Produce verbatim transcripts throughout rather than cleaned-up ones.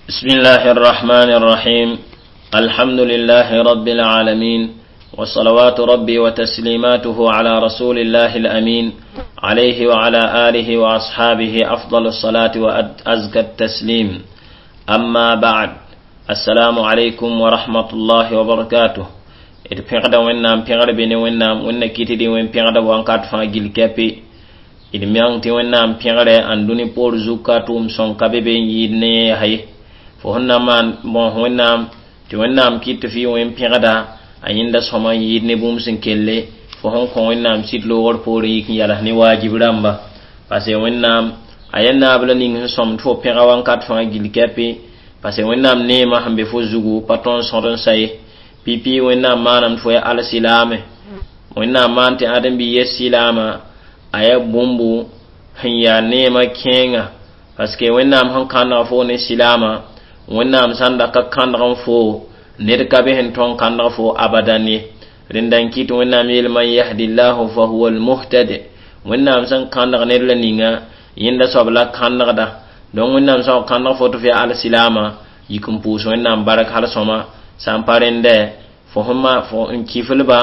بسم الله الرحمن الرحيم الحمد لله رب العالمين وصلوات ربي وتسليماته على رسول الله الأمين عليه وعلى آله وأصحابه أفضل الصلاة وأزكى التسليم أما بعد السلام عليكم ورحمة الله وبركاته d pẽgda wẽnnaam pẽgr be ne wẽnnaam wẽnna kɩt dɩ wẽn pẽgda wãnkat fãa gil kɛpɩ d meng tɩ wẽnnaam pẽgrɛ ãn-dũni poor zug ka tʋʋm sõng ka be be n yɩɩd ne yẽ yaa ye fo sẽn na maan bõos wẽnnaam tɩ wẽnnaam kɩt tɩ f yɩ wẽn pẽgda a yẽnda sõma n yɩɩd ne bũmb sẽn kelle fo sẽn kõ wẽnnaam sɩd loogr poorẽ yik n yals ne waajib rãmba parce wẽnnaam a yaa naab la ning sẽn sõmd fo pẽga wãnkat fãa gil kɛpɩ parce wẽnnaam neemã sẽn be fo zugu pa tõnd sõd n sa ye pipi wẽnnaam maanam tɩ fo yaa alsilaame wẽnnaam maan tɩ ãdem-bi yes silaama a yaa bũmbu sẽn yaa neemã kẽenga parce que wẽnnaam sẽn kãndg fo ne silaama wẽnnaam sãn da ka kãndg n fo ned ka be sẽn tõn kãndg fo abadan ye rẽnda n kɩt wẽnnaam yeel man yahdillahu fa huwa almuhtad wẽnnaam sẽn kãndg ned la ninga yẽnda soab la kãndgda donc wẽnnaam sã n kãndg fo tɩ f yaa alsilaama yik n pʋʋs wẽnnaam bark hal sõma sã n pa rẽndɛ fo sẽn ma fo n kiflba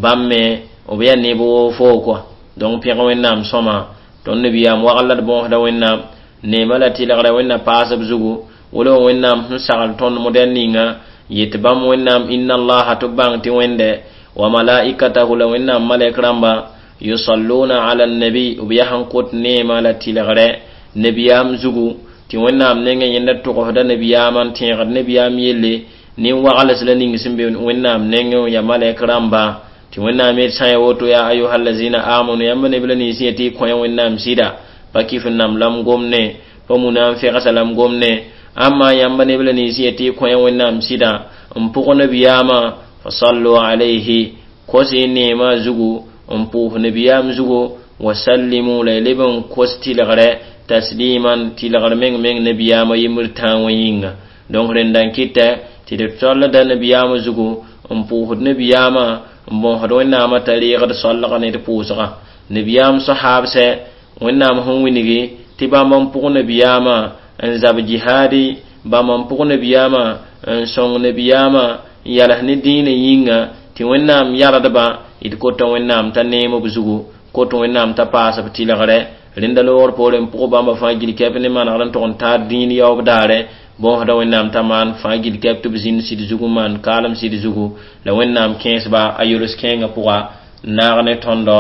bãmb me b yaa neb woo foo kɔa donc pẽg wẽnnaam sõma tõnd nabiyaam wagl la d bõosda wẽnnaam neemã la tɩlgrã wẽnna paasb zugu wala wẽnnaam sẽn sagl tõnd modɛl ninga yet bãmb wẽnnaam inna allaha tɩ b bãng tɩ wẽnde wa malaikatahu la wẽnnaam malɛk rãmba yusalluna ala nabi b yaa sẽn kot neemã la tɩlgrɛ nabiyaam zugu tɩ wẽnnaam nengẽ yẽnda togsda nabiyaamã n tẽegd nabiyaam yelle nin-wagls la ning sẽn be wẽnnaam nengẽ ya malɛk rãmba tɩ wẽnnaam yet sã ya woto ya ayuha allazina amanu yãmb neb la nins yetɩ y kõ wẽnnaam sɩda pa kɩf n nam lam gomne pa muna n fegsa lam gomne amma yãmb neb la nins yetɩ y kõ wẽnnaam sɩda n pʋg nabiyaamã fasallu alayhi kos y neemã zugu n pʋʋs nabiyaam zugu wasallimu la y leb n kos tɩlgrɛ tasliman tɩlgr meng meng nabiyaamã yembr tãa wã yĩnga donc rẽnda n kɩtɛ tɩ d tollda nabiyaamã zugu n pʋʋsd nabiyaamã n bõosd wẽnnaamã t'a reegd soalga ne d pʋʋsga nabiyaam sahaabsɛ wẽnnaam sẽn wilgi tɩ bãmb n pʋg nabiyaamã n zab jihaadi bãmb n pʋg nabiyaamã n sõng nabiyaamã n yals ne dĩinã yĩnga tɩ wẽnnaam yardba d kota wẽnnaam t'a neem b zugu kot wẽnnaam t'a paas b tɩlgrɛ rẽnda loogr poorẽ n pʋg bãmba fãa gil kɛp ne manegr n tʋg n taar dĩin yaoob daare bõosda wẽnnaam t'a maan fãa gil kɛp tɩ b zĩnd sɩd zugu n maan kaalem sɩd zugu la wẽnnaam kẽesba a yols kẽengã pʋga n naag ne tõndo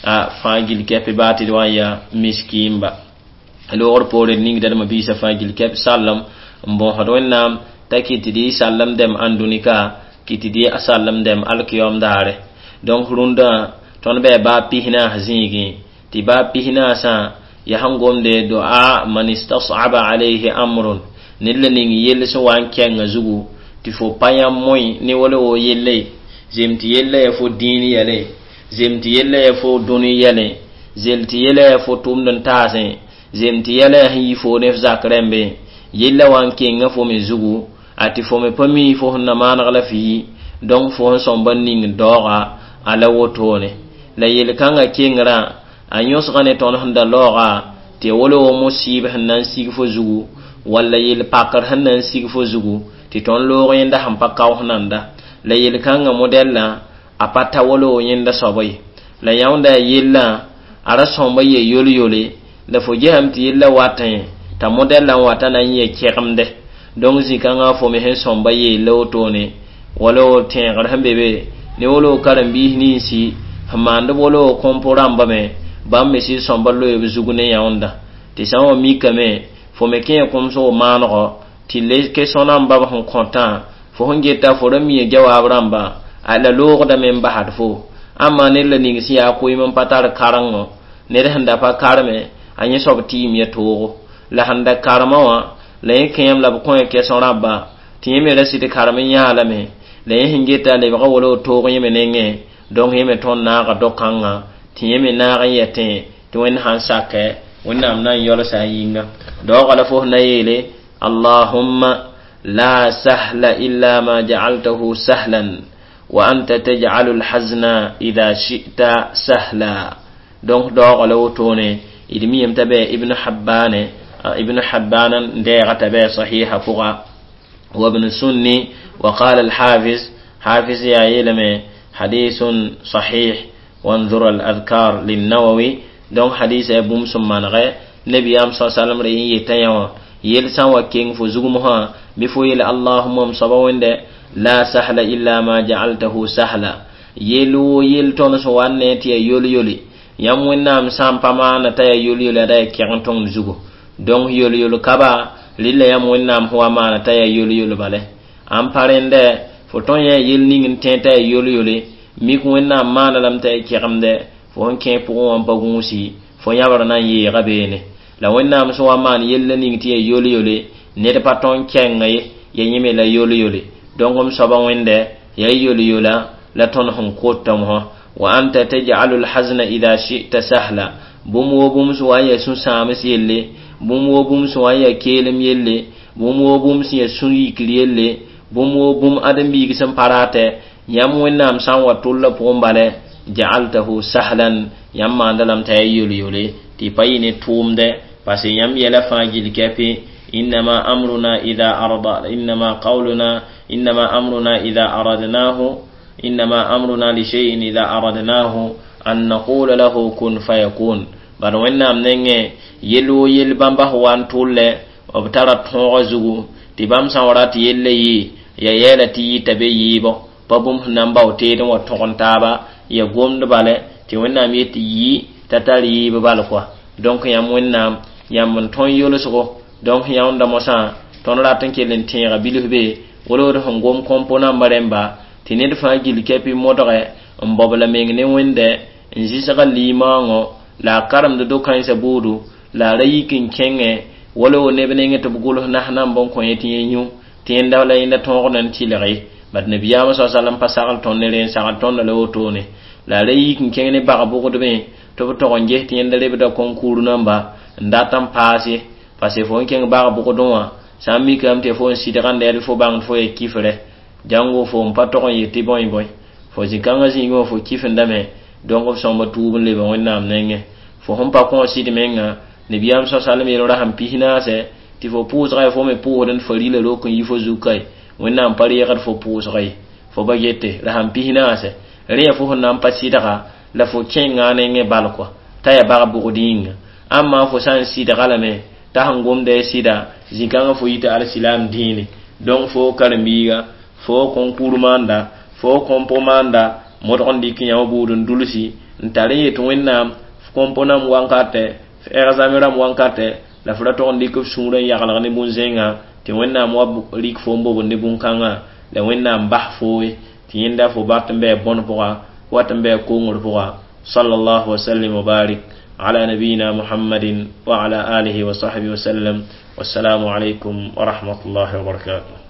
a fãa gil kɛp baa tɩ d wa n yaa miskiimba loogr poorẽ d ningda d mabiisã fãa gil kɛp sallem n bõosd wẽnnaam t'a kɩt tɩ d y sallem dɛm ãndũnika kɩt tɩ d y sallem dɛm alkiyom daare donc rũndã tõnd bɩ baa pis-naas zĩigẽ tɩ baa pis-naasã yaa sẽn gomde doa man istasaba alayhi amrun ned la ning yell sẽn wa n kɛngã zugu tɩ fo pa yãmb moe ne wala wo yelle zem tɩ yella ya fo dĩin yɛle zem tɩ yella ya fo dũni yɛle zel tɩ yella ya fo tʋmd n taasẽ zem tɩ yɛla ya sẽn yi fo ne f zak rẽmbe yella wa n kenga fo me zugu a tɩ fo me pa mi fo sẽn na maaneg la f yi donc fo sẽn sõmba n ning daooga a la wotone la yel-kãngã kengrã a yõsga ne tõnd sẽn da laooga tɩ wala wo musɩɩb sẽn na n sig fo zugu walla yel-pakr sẽn na n sig fo zugu tɩ tõnd loog yẽnda sẽn pa kaoos nanda la yel-kãngã modɛllã a pa ta wala wo yẽnda soaba ye la yãonda yaa yellã a ra sõmba ye yol-yole la fo gesame tɩ yella watẽ t'a modɛllã n wata na n yɛ kɛgemde donc zĩ-kãngã fo me sẽn sõmba yeella wotone wala wo tẽegr sẽn be be ne wala wo karen-biis ninsi sẽn maand b wala wo kõmp rãmba me bãmb me sɩd sõmba loe b zug ne yãonda tɩ sã n wa mikame fo me kẽ kʋmsg maanego tɩ le kesõ rãmba b sẽn kõtã fo sẽn geta fo ra mia jawaab rãmba a la loogdame n basd fo ãmma ned la ning sẽn yaa koeem n pa tar karengo ned sẽn da pa karme a yẽ soab tɩɩm ya toogo la sẽn da karema wã la yẽ kẽem la b kõ kesõ rãmba tɩ yẽ me ra sɩd karem n yãalame la yẽ sẽn geta lebga wala toog yẽ me nengẽ donc yẽ me tõnd naaga do-kãngã tɩ yẽ me naag n yɛtẽ tɩ wẽnd sãn sakɛ wẽnnaam na n yɔlsa a yĩnga daooga la fo na yeele allahumma la sahla illa ma jacaltahu sahlan wa anta tajcalu lhazna ida shi'ta sahla donc daooga la wotone d miyame t'a bɩ ibn habbane Ibn Habban n deega t'a bɩ sahiha pʋga وابن سني وقال الحافظ حافظ يا يلمي حديث صحيح وانظر الأذكار للنووي donc hadis ya bũmb sẽn manegɛ nebiyaam sa sallam re yẽ yeta yã wã yel sã n wa keng fo zugmsã bɩ fo yele allahuma m soaba wẽnde la sahla illa ma jaaltahu sahla yel woo yel tõnd sẽn wa n ne tɩ ya yol-yole yãmb wẽnnaam sã n pa maana t'a ya yol-yole da ya kɛg n tõng zugu donc yol-yol kaba rɩla yãmb wẽnnaam sẽn wa maana t'a ya yol-yol bale an pa rẽndɛ fo tõn yã yel ning n tẽ t'a ya yol-yole mik wẽnnaam maana lame t'a ya kɛgemdɛ fo sẽn kẽ pʋgẽ wã n pa gũusi fo yãbr na n yeega beene la wẽnnaam sẽn wa maan yella ning tɩ ya yol-yole ned pa tõn kɛnga ye ya yẽme la yol-yole donc m soaba wẽndɛ ya yol-yola la tõnd sẽn kota mosã wa anta taj'alu lhazna ida shi'ta sahla bũmb woo bũmb sẽn wa n ya sũ-sãams yelle bũmb woo bũmb sẽn wa n ya keelem yelle bũmb woo bũmb sẽn ya sũ-yikr yelle bũmb woo bũmb ãdem-biig sẽn pa ratɛ yãmb wẽnnaam sã n wa tʋlla pʋgẽ bala ja'altahu sahlan yãmb maanda lame t'a ya yol-yole tɩ pa yɩ ne tʋʋmdɛ parce que yãmb yɛla fãa gill kɛpɩ إنما أمرنا إذا أرض إنما قولنا إنما أمرنا إذا أردناه إنما أمرنا لشيء إذا أردناه أن نقول له كن فيكون bad wẽnnaam nengẽ yel woo yel bãmba sẽn wa n tʋllɛ b tara tõogã zugu tɩ bãmb sã n wa rat yella yɩ ya yɛɛla tɩ yɩta be yɩɩbɔ pa bũmb sẽn na n bao teed n wa tõg n taaba ya gomd bala tɩ wẽnnaam yet tɩ yɩ t'a tar yɩɩb bal koa donc yãmb wẽnnaam yãmb n tõe yolsgo donc yãunda mosã tõnd rat n kell n tẽega bilf be wolgd sẽn gom kõmpo namba rẽmba tɩ ned fãa gill kɛpɩ modgɛ n baob la meng ne wẽndɛ n zɩsga limaoongõ la a karemd do-kãensã buudu la a ra yik n kẽngẽ wala wo neb nengẽ tɩ b gʋls nas namb n kõ yẽ tɩ yẽ yũ tɩ yẽnda la yẽnda tõogd n tɩlg ye bad nabiyaamã sa salam pa sagl tõnd ne rẽ n sagl tõnda la wotone la a ra yik n kẽng ne bag bʋgdbẽ tɩ b tog n ges tɩ yẽnda rebda concours namba n dat n paas ye parce que fo n kẽng bag bʋgdẽ wã sã n mikame tɩ fo n sɩdgã d fo bãngd fo ya kifrɛ jango fo n pa tog n yet tɩ bõe bõe fo zĩ-kãngã zĩigẽ wã fo kifendame donc b sõmba tuub n leba wẽnnaam nengẽ fo sẽn pa kõ sɩd menga nabiyaam sa salm yel rasem pis naasɛ tɩ fo pʋʋsga ya fo me pʋʋsd n farila rok n yi fo zug kae wẽnnaam pa reegd fo pʋʋsga ye fo ba gete rasem pis naasɛ rẽ ya fo sẽn na n pa sɩdga la fo kẽnga a nengẽ bal kɔa t'a ya bag bʋgd yĩnga amma fo sã n sɩdga lame t'a sẽn gomda ya sɩda zĩ-kãngã fo yita alsilam dĩine donc fo karen-biiga fo concours maanda fo kõmpo maanda modg n dɩk yãmb buud n dulsi n tar n yet wẽnnaam kõmpo nam wankatɛ f examen rãmb wankatɛ la f ra tog n dɩk f sũurã n yaglg ne bũn-zẽnga tɩ wẽnnaam wa rɩk fo n bobd ne bũn-kãngã la wẽnnaam bas fooye tɩ yẽnda fo bat n bɩ bõn pʋga wat n bɩ kongr pʋga صلى الله وسلم وبارك على نبينا محمد وعلى آله وصحبه وسلم والسلام عليكم ورحمة الله وبركاته.